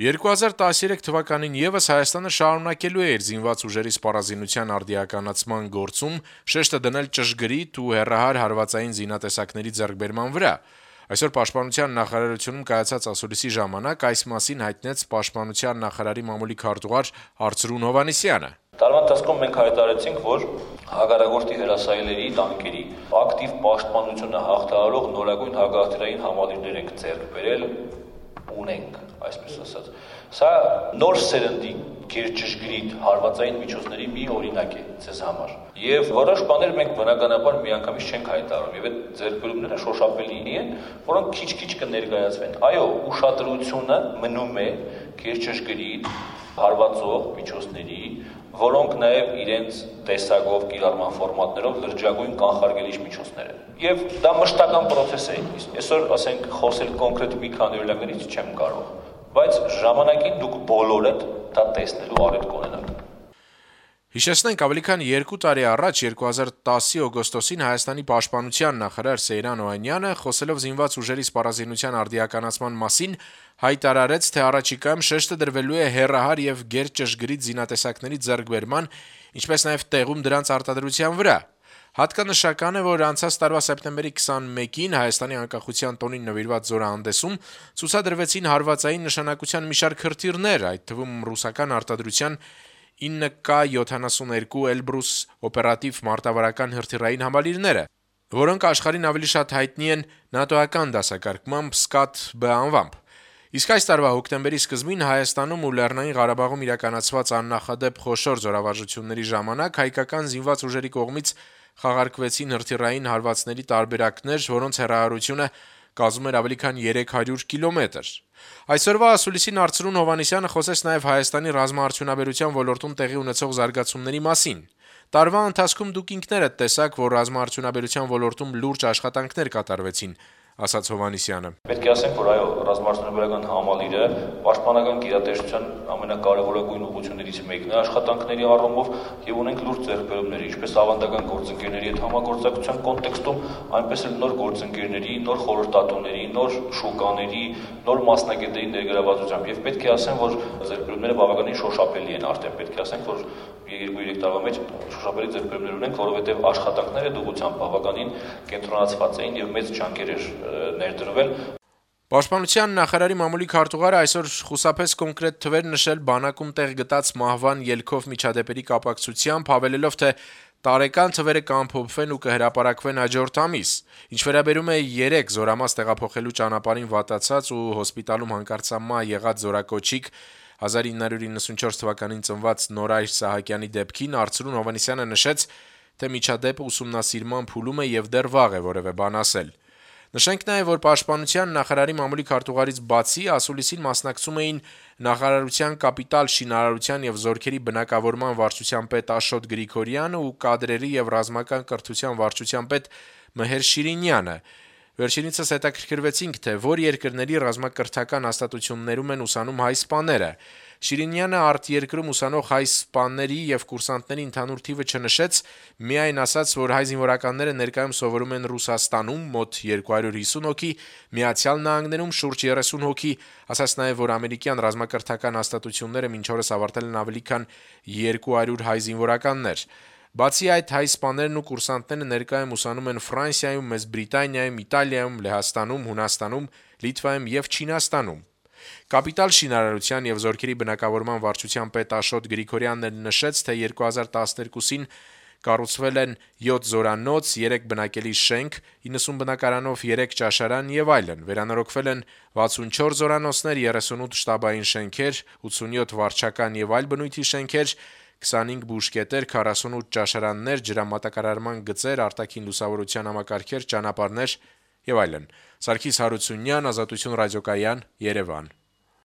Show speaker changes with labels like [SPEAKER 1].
[SPEAKER 1] 2013 թվականին եւս Հայաստանը շարունակելու է իր զինված ուժերի սպառազինության արդիականացման գործում շեշտը դնել ճշգրիտ ու հեռահար հարվածային զինատեսակների ձեռքբերման վրա։ Այսօր Պաշտպանության նախարարությունում կայացած ասուլիսի ժամանակ այս մասին հայտնեց Պաշտպանության նախարարի մամուլի քարտուղար Արծրուն Հովհաննիսյանը։
[SPEAKER 2] Տարվա ընթացքում մենք հայտարարեցինք, որ հակառակորդի հրասայլերի տանկերի ակտիվ պաշտպանությունը հաղթահարող նորագույն հակահրթիռային համալիրներ ենք ձեռք բերել, ունենք, այսպես ասած։ Սա նոր սերնդի գերճշգրիտ հարվածային միջոցների մի օրինակ է ձեզ համար։ Եվ որոշ բաներ մենք բնականաբար միանգամից չենք հայտարարում, եւ այդ ձեռքբերումները շոշափելի են, որոնք քիչ-քիչ կներկայացվեն։ Այո, ուշադրությունը մնում է գերճշգրիտ հարվածող միջոցների, որոնք նաև իրենց տեսակով, կիրառման ֆորմատներով լրջագույն կանխարգելիչ միջոցներ են։ Եվ դա մշտական process է։ Այսօր, ասենք, խոսել կոնկրետ մի քանի օրինակներից չեմ կարող, բայց ժամանակին դուք բոլորդ դա տեսնելու առիթ կունենաք։
[SPEAKER 1] Հիշեցնենք, ավելի քան 2 տարի առաջ 2010-ի օգոստոսին Հայաստանի պաշտպանության նախարար Սեյրան Օհանյանը, խոսելով զինված ուժերի սպառազինության արդիականացման մասին, հայտարարեց, թե առաջիկայում շեշտը դրվելու է հեռահար եւ գերճշգրիտ զինատեսակների ձեռքբերման, ինչպես նաեւ տեղում դրանց արտադրության վրա։ Հատկանշական է, որ անցած տարվա սեպտեմբերի 21-ին Հայաստանի անկախության տոնին նվիրված զորահանդեսում ցուցադրվեցին հարվածային նշանակության մի շարք հրթիռներ, այդ թվում ռուսական արտադրության 9K-72 Էլբրուս օպերատիվ մարտավարական հրթիռային համալիրները, որոնք աշխարհին ավելի շատ հայտնի են նատոական դասակարգմամբ «Սկադ-B» անվամբ։ Իսկ այս տարվա հոկտեմբերի սկզբին Հայաստանում ու Լեռնային Ղարաբաղում իրականացված աննախադեպ խոշոր զորավարժությունների ժամանակ հայկական զինված ուժերի կողմից խաղարկվեցին հրթիռային հարվածների տարբերակներ, որոնց հեռահարությունը կազմում էր ավելի քան 300 կիլոմետր։ Այսօրվա ասուլիսին Արծրուն Հովհաննիսյանը խոսեց նաև Հայաստանի ռազմաարդյունաբերության ոլորտում տեղի ունեցող զարգացումների մասին։ Տարվա ընթացքում դուք ինքներդ տեսաք, որ ռազմաարդյունաբերության ոլորտում լուրջ աշխատանքներ կատարվեցին, ասաց Հովհաննիսյանը։
[SPEAKER 2] Պետք է ասենք, որ այո, ռազմաարդյունաբերական համալիրը պաշտպանական գերատեսչության ամենակարևորագույն ուղղություններից մեկն է աշխատանքների առումով եւ ունենք լուրջ ձեռքբերումներ, ինչպես ավանդական գործընկերների հետ համագործակցության կոնտեքստում, այնպես էլ նոր գործընկերների, նոր խորհրդատուների, նոր շուկաների, նոր մասնագետների ներգրավվածությամբ եւ պետք է ասեմ, որ ձեռքբերումները բավականին շոշափելի են արդեն, պետք է ասենք, որ 2-3 տարվա մեջ շոշափելի ձեռքբերումներ ունենք, որովհետեւ աշխատանքները դուղությամբ բավականին կենտրոնացված էին եւ մեծ ջանքեր էր ներդրվել։
[SPEAKER 1] Պաշտպանության նախարարի մամուլի քարտուղարը այսօր խուսափեց կոնկրետ թվեր նշել բանակում տեղ գտած մահվան ելքով միջադեպերի կապակցությամբ, հավելելով, թե տարեկան թվերը կամփոփվեն ու կհրապարակվեն հաջորդ ամիս։ Ինչ վերաբերում է 3 զորամաս տեղափոխելու ճանապարհին վատացած ու հոսպիտալում հանկարծամահ եղած զորակոչիկ 1994 թվականին ծնված Նորայր Սահակյանի դեպքին Արծրուն Հովհաննիսյանը նշեց, թե միջադեպը ուսումնասիրման փուլում է եւ դեռ վաղ է որևէ բան ասել։ Նշենք նաև, որ Պաշտպանության նախարարի մամուլի քարտուղարից բացի ասուլիսին մասնակցում էին նախարարության կապիտալ շինարարության եւ զորքերի բնակավորման վարչության պետ Աշոտ Գրիգորյանը ու կադրերի եւ ռազմական կրթության վարչության պետ Մհեր Շիրինյանը։ Վերջինիցս հետաքրքրվեցինք, թե որ երկրների ռազմակրթական հաստատություններում են ուսանում հայ սպաները։ Շիրինյանը արտերկրում ուսանող հայ սպաների եւ կուրսանտների ընդհանուր թիվը չնշեց, միայն ասաց, որ հայ զինվորականները ներկայում սովորում են Ռուսաստանում մոտ 250 հոգի, Միացյալ Նահանգներում շուրջ 30 հոգի, ասաց նաեւ, որ ամերիկյան ռազմակրթական հաստատությունները մինչ օրս ավարտել են ավելի քան 200 հայ զինվորականներ։ Բացի այդ, հայ սպաներն ու կուրսանտները ներկայում ուսանում են Ֆրանսիայում, Մեծ Բրիտանիայում, Իտալիայում, Լեհաստանում, Հունաստանում, Լիտվայում եւ Չինաստանում։ Կապիտալ շինարարության եւ զորքերի բնակավորման վարչության պետ Աշոտ Գրիգորյանն նշեց, թե 2012-ին կառուցվել են 7 զորանոց, 3 բնակելի շենք, 90 բնակարանով 3 ճաշարան եւ այլն։ Վերանորոգվել են 64 զորանոցներ, 38 շտաբային շենքեր, 87 վարչական եւ այլ բնույթի շենքեր, 25 բուժկետեր, 48 ճաշարաններ, ջրամատակարարման գծեր, արտաքին լուսավորության համակարգեր, ճանապարհներ եւ այլն։ Սարգիս Հարությունյան, Ազատություն ռադիոկայան, Երևան։